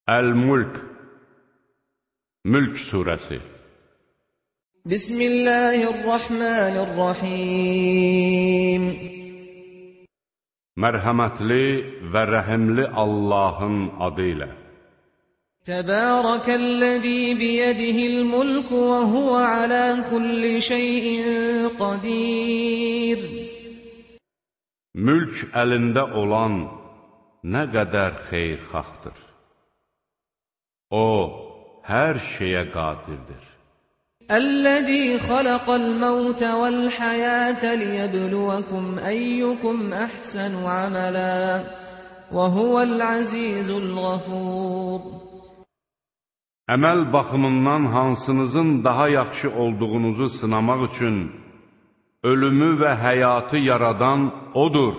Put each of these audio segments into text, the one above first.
Əl-Mulk Mülk surəsi Bismillahirrahmanirrahim Mərhəmətli və rəhimli Allahın adı ilə Təbərəkəl-ləzî biyədihil mulku və huvə alə kulli şeyin qadir Mülk əlində olan nə qədər xeyirxahdır. O, hər şeyə qadirdir. Əl-ləzî xaləqəl məvtə vəl-həyətə liyəbluvəkum əyyukum əhsənu əmələ və huvəl-əzîzul-ğafur Əməl baxımından hansınızın daha yaxşı olduğunuzu sınamaq üçün ölümü və həyatı yaradan O'dur.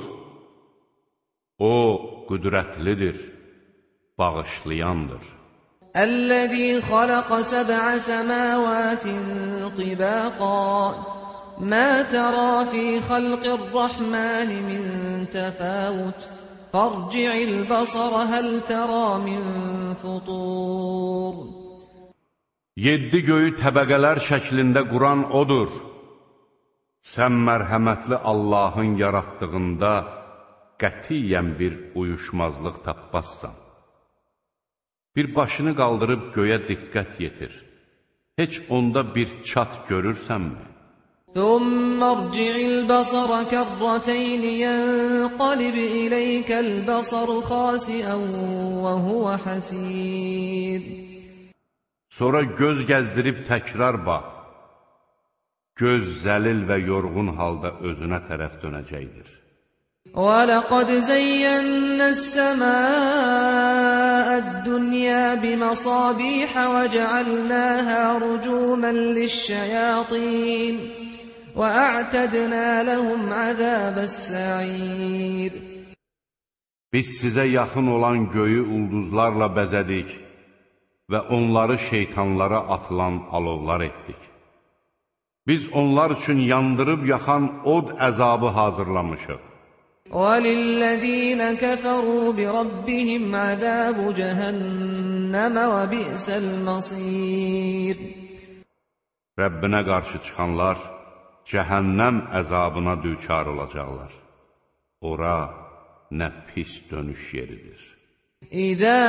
O, qüdrətlidir, bağışlayandır. Əl-ləzî xaləqə səb'ə səmâvâtin tibâqā mə tərâ fî xalqir-rəhmâni min təfâvut fərci'il basara həl tərâ min futur 7 göyü təbəqələr şəklində quran O'dur. Sən mərhəmətli Allahın yaratdığında qətiyyən bir uyuşmazlıq tapmazsan. Bir başını qaldırıb göyə diqqət yetir. Heç onda bir çat görürsənmi? ثُمَّ ارْجِعِ الْبَصَرَ كَرَّتَيْنِ يَنْقَلِبْ إِلَيْكَ الْبَصَرُ خَاسِئًا وَهُوَ حَسِيرٌ Sonra göz gəzdirib təkrar bax. Göz zəlil və yorğun halda özünə tərəf dönəcəkdir. وَلَقَدْ زَيَّنَّا السَّمَاءَ الدُّنْيَا بِمَصَابِيحَ وَجَعَلْنَاهَا رُجُومًا لِلشَّيَاطِينِ وَأَعْتَدْنَا لَهُمْ عَذَابَ السَّعِيرِ Biz sizə yaxın olan göyü ulduzlarla bəzədik və onları şeytanlara atılan alovlar etdik. Biz onlar üçün yandırıb yaxan od əzabı hazırlamışıq. وَلِلَّذِينَ كَفَرُوا بِرَبِّهِمْ عَذَابُ جَهَنَّمَ وَبِئْسَ الْمَصِيرُ Rəbbinə qarşı çıxanlar cəhənnəm əzabına düçar olacaqlar. Ora nə pis dönüş yeridir. İzə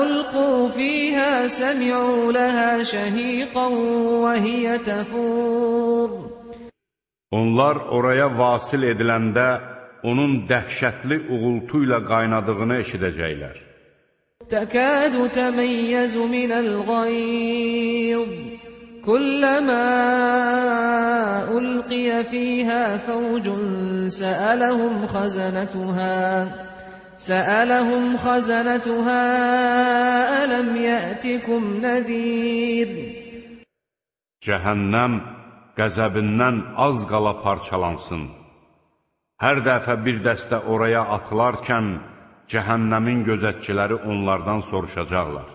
ulqu fīhə səmi'u ləhə şəhiqən və hiyə təfur Onlar oraya vasil ediləndə onun dəhşətli uğultu ilə qaynadığını eşidəcəklər. Təkədu təməyyəzu minəl qayz Kulləmə ulqiyə fīhə fəvcun səələhum xəzənətuhə ələm yətikum nəzir Cəhənnəm qəzəbindən az qala parçalansın. Hər dəfə bir dəstə oraya atılarkən, cəhənnəmin gözətçiləri onlardan soruşacaqlar.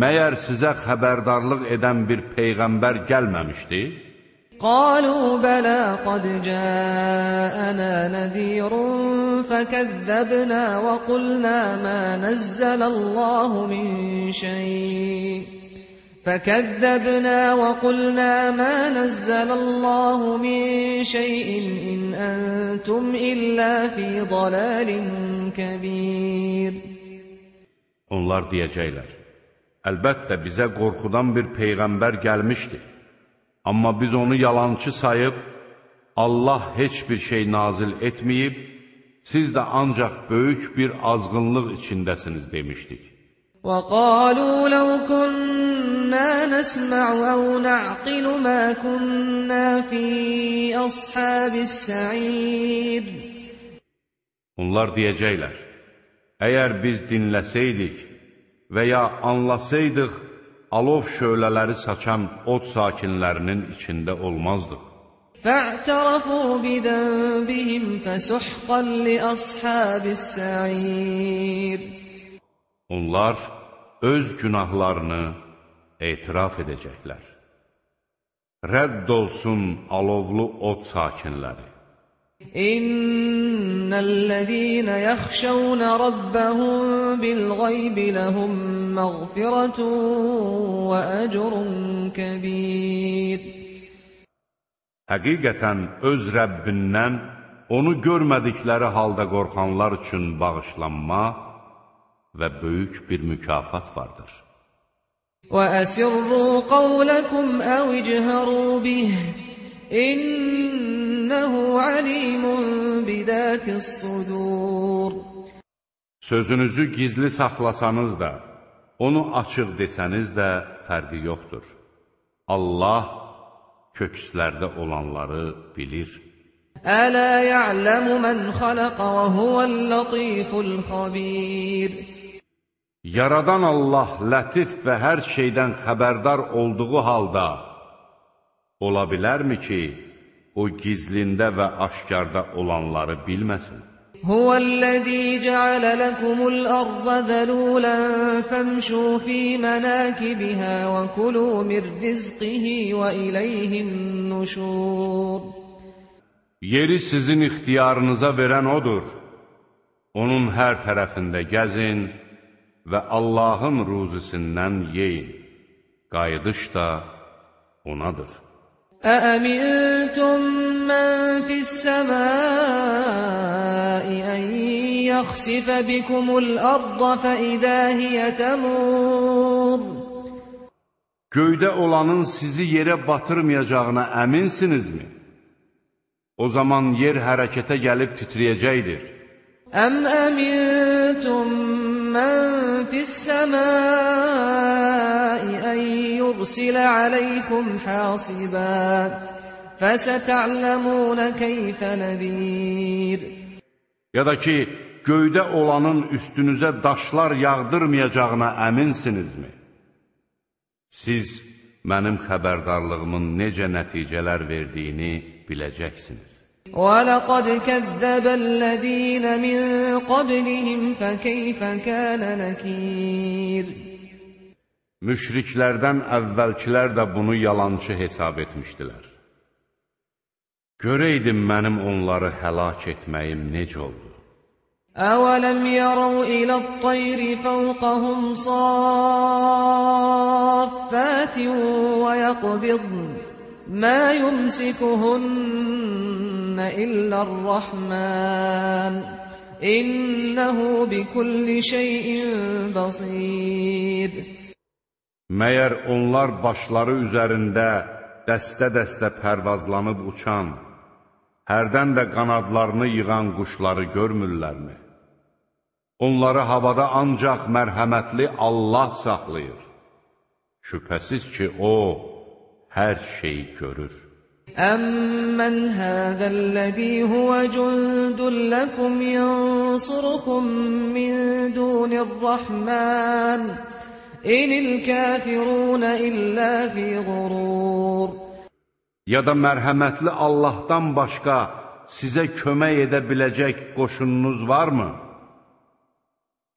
Məyər sizə xəbərdarlıq edən bir peyğəmbər gəlməmişdi? Qalu bələ qad cəənə nəzirun fəkəzzəbnə və qulnə mə nəzzələlləhu min şeyh فكذبنا وقلنا ما نزل الله من شيء إن أنتم إلا في ضلال كبير Onlar deyəcəklər, əlbəttə bizə qorxudan bir peyğəmbər gəlmişdi. Amma biz onu yalançı sayıb, Allah heç bir şey nazil etməyib, siz də ancaq böyük bir azğınlıq içindəsiniz demişdik. وَقَالُوا لَوْ كُنَّا نَسْمَعُ أَوْ نَعْقِلُ مَا كُنَّا فِي أَصْحَابِ السَّعِيرِ Onlar deyəcəklər, əgər biz dinləsəydik və ya anlasaydıq, alov şölələri saçan od sakinlərinin içində olmazdıq. فَاعْتَرَفُوا بِذَنبِهِمْ فَسُحْقًا لِأَصْحَابِ السَّعِيرِ Onlar öz günahlarını etiraf edəcəklər. Rədd olsun alovlu od sakinləri. İnnellezîne yahşavne rabbahum bil-gaybi lehum mağfiretun ve ecrun kebîr. Həqiqətən öz Rəbbindən onu görmədikləri halda qorxanlar üçün bağışlanma və böyük bir mükafat vardır. وَأَسِرُّوا قَوْلَكُمْ أَوْ اجْهَرُوا بِهِ إِنَّهُ عَلِيمٌ بِذَاتِ الصُّدُورِ. Sözünüzü gizli saxlasanız da, onu açıq desəniz də fərqi yoxdur. Allah kökslərdə olanları bilir. أَلَا يَعْلَمُ مَنْ خَلَقَ وَهُوَ اللَّطِيفُ الْخَبِيرُ. Yaradan Allah lətif və hər şeydən xəbərdar olduğu halda, ola bilərmi ki, o gizlində və aşkarda olanları bilməsin? Huvellezî ceale lekumul arda zelûlen femşû fî menâkibihâ ve kulû min rizqihi ve ileyhin nuşûr. Yeri sizin ixtiyarınıza verən odur. Onun hər tərəfində gəzin və Allahın ruzisindən yeyin. Qayıdış da onadır. أَأَمِنْتُمْ مَنْ فِي السَّمَاءِ أَنْ يَخْسِفَ بِكُمُ الْأَرْضَ فَإِذَا هِيَ تَمُورُ. Göydə olanın sizi yerə batırmayacağına əminsinizmi? O zaman yer hərəkətə gəlib titriyəcəkdir. أَمْ أَمِنْتُمْ مَنْ فِي السَّمَاءِ أَنْ يُرْسِلَ عَلَيْكُمْ حَاصِبًا فَسَتَعْلَمُونَ كَيْفَ نَذِيرٌ. Ya da ki, göydə olanın üstünüzə daşlar yağdırmayacağına əminsinizmi? Siz mənim xəbərdarlığımın necə nəticələr verdiyini biləcəksiniz. وَلَقَدْ كَذَّبَ الَّذ۪ينَ مِنْ قَبْلِهِمْ فَكَيْفَ كَانَ نَكِيرٌ. Müşriklərdən əvvəlkilər də bunu yalançı hesab etmişdilər. Görəydim mənim onları həlak etməyim necə oldu? أَوَلَمْ يَرَوْا إِلَى الطَّيْرِ فَوْقَهُمْ صَافَّاتٍ وَيَقْبِضْنَ مَا يُمْسِكُهُنَّ إِلَّا الرَّحْمَنُ إِنَّهُ بِكُلِّ شَيْءٍ بَصِيرٌ. Məyər onlar başları üzərində dəstə-dəstə pərvazlanıb uçan, hərdən də qanadlarını yığan quşları görmürlərmi? Onları havada ancaq mərhəmətli Allah saxlayır. Şübhəsiz ki, O hər şeyi görür. أَمَّنْ هَذَا الَّذ۪ي هُوَ جُنْدٌ لَكُمْ يَنْصُرُكُمْ مِنْ دُونِ الرَّحْمَنِ إِنِ الْكَافِرُونَ إِلَّا فِي غُرُورٍ. Ya da mərhəmətli Allahdan başqa sizə kömək edə biləcək qoşununuz varmı?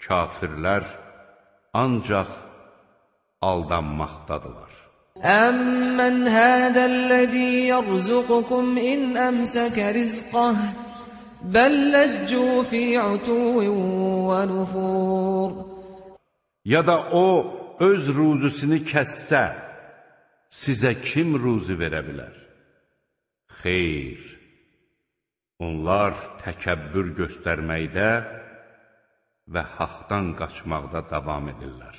Kafirlər ancaq aldanmaqdadılar. أَمَّنْ هَذَا الَّذ۪ي يَرْزُقُكُمْ إِنْ أَمْسَكَ رِزْقَهُ بَلْ لَجُّوا فِي عُتُوٍّ وَنُفُورٍ. Ya da O öz ruzusunu kəssə, sizə kim ruzi verə bilər? Xeyr, onlar təkəbbür göstərməkdə və haqdan qaçmaqda davam edirlər.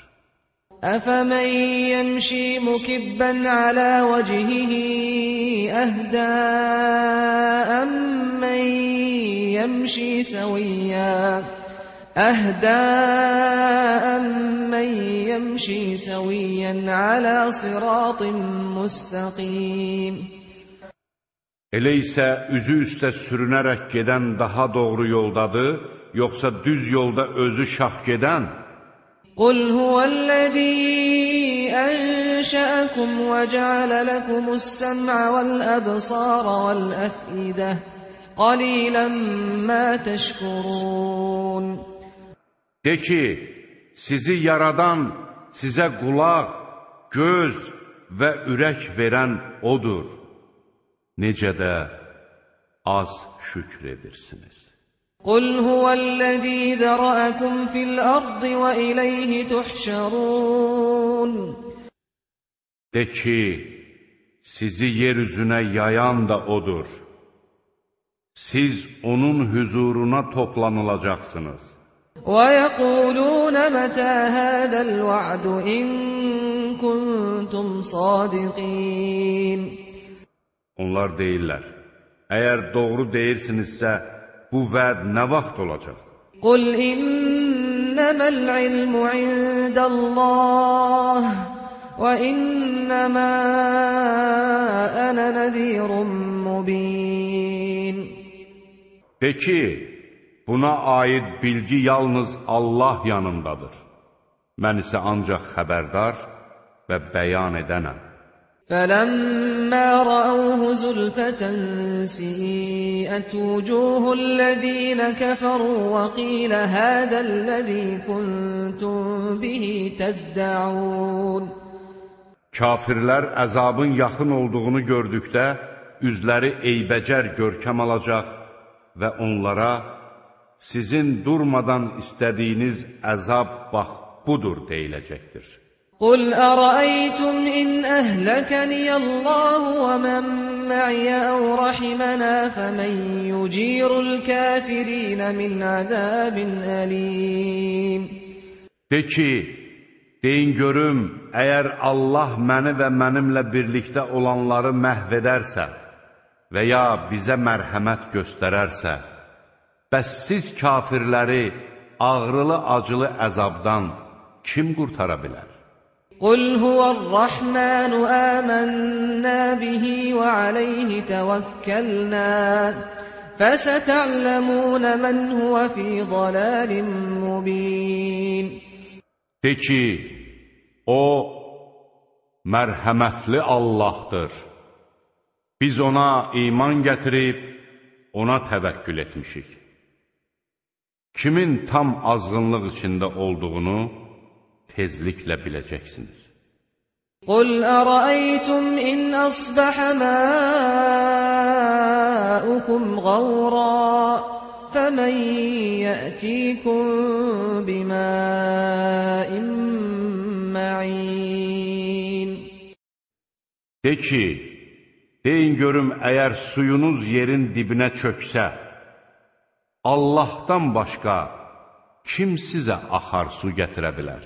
أَفَمَنْ يَمْشِي مُكِبًّا عَلَى وَجْهِهِ أَهْدَىٰ أَمَّنْ يَمْشِي سَوِيًّا عَلَى صِرَاطٍ مُسْتَقِيمٍ. Elə isə üzü üstə sürünərək gedən daha doğru yoldadır, yoxsa düz yolda özü şax gedən? قُلْ هُوَ الَّذ۪ي أَنْشَأَكُمْ وَجَعَلَ لَكُمُ السَّمْعَ وَالْأَبْصَارَ وَالْأَفْئِدَةَ قَلِيلًا مَا تَشْكُرُونَ. De ki, sizi yaradan, sizə qulaq, göz və ürək verən O'dur. Necə də az şükr edirsiniz. قل هو الذي ذرأكم في الأرض وإليه تحشرون. De ki, sizi yeryüzüne yayan da odur. Siz onun huzuruna toplanılacaksınız. وَيَقُولُونَ مَتَى هَذَا الْوَعْدُ إِن كُنتُمْ صَادِقِينَ. Onlar deyirlər, əgər doğru deyirsinizsə, bu vəd nə vaxt olacaq? قُلْ إِنَّمَا الْعِلْمُ عِندَ اللَّهِ وَإِنَّمَا أَنَا نَذِيرٌ مُبِينٌ. De ki, buna aid bilgi yalnız Allah yanındadır. Mən isə ancaq xəbərdar və bəyan edənəm. فَلَمَّا رَأَوْهُ زُلْفَةً سِيئَتْ وُجُوهُ الَّذِينَ كَفَرُوا وَقِيلَ هَذَا الَّذِي كُنتُم بِهِ تَدَّعُونَ. Kafirlər əzabın yaxın olduğunu gördükdə, üzləri eybəcər görkəm alacaq və onlara, sizin durmadan istədiyiniz əzab bax budur deyiləcəkdir. قُلْ أَرَأَيْتُمْ إِنْ أَهْلَكَنِيَ اللَّهُ وَمَنْ مَعِيَ أَوْ رَحِمَنَا فَمَنْ يُجِيرُ الْكَافِرِينَ مِنْ عَذَابٍ أَلِيمٍ. De ki, deyin görüm, əgər Allah məni və mənimlə birlikdə olanları məhv edərsə və ya bizə mərhəmət göstərərsə, bəs siz kafirləri ağrılı-acılı əzabdan kim qurtara bilər? قُلْ هُوَ الرَّحْمَنُ آمَنَّا بِهِ وَعَلَيْهِ تَوَكَّلْنَا فَسَتَعْلَمُونَ مَنْ هُوَ فِي ضَلَالٍ مُبِينٍ. De ki, o mərhəmətli Allahdır. Biz ona iman gətirib, ona təvəkkül etmişik. Kimin tam azğınlıq içində olduğunu tezliklə biləcəksiniz. قُلْ أَرَأَيْتُمْ إِنْ أَصْبَحَ مَاؤُكُمْ غَوْرًا فَمَنْ يَأْتِيكُمْ بِمَاءٍ مَّعِينٍ. De ki, deyin görüm, əgər suyunuz yerin dibinə çöksə, Allahdan başqa kim sizə axar su gətirə bilər?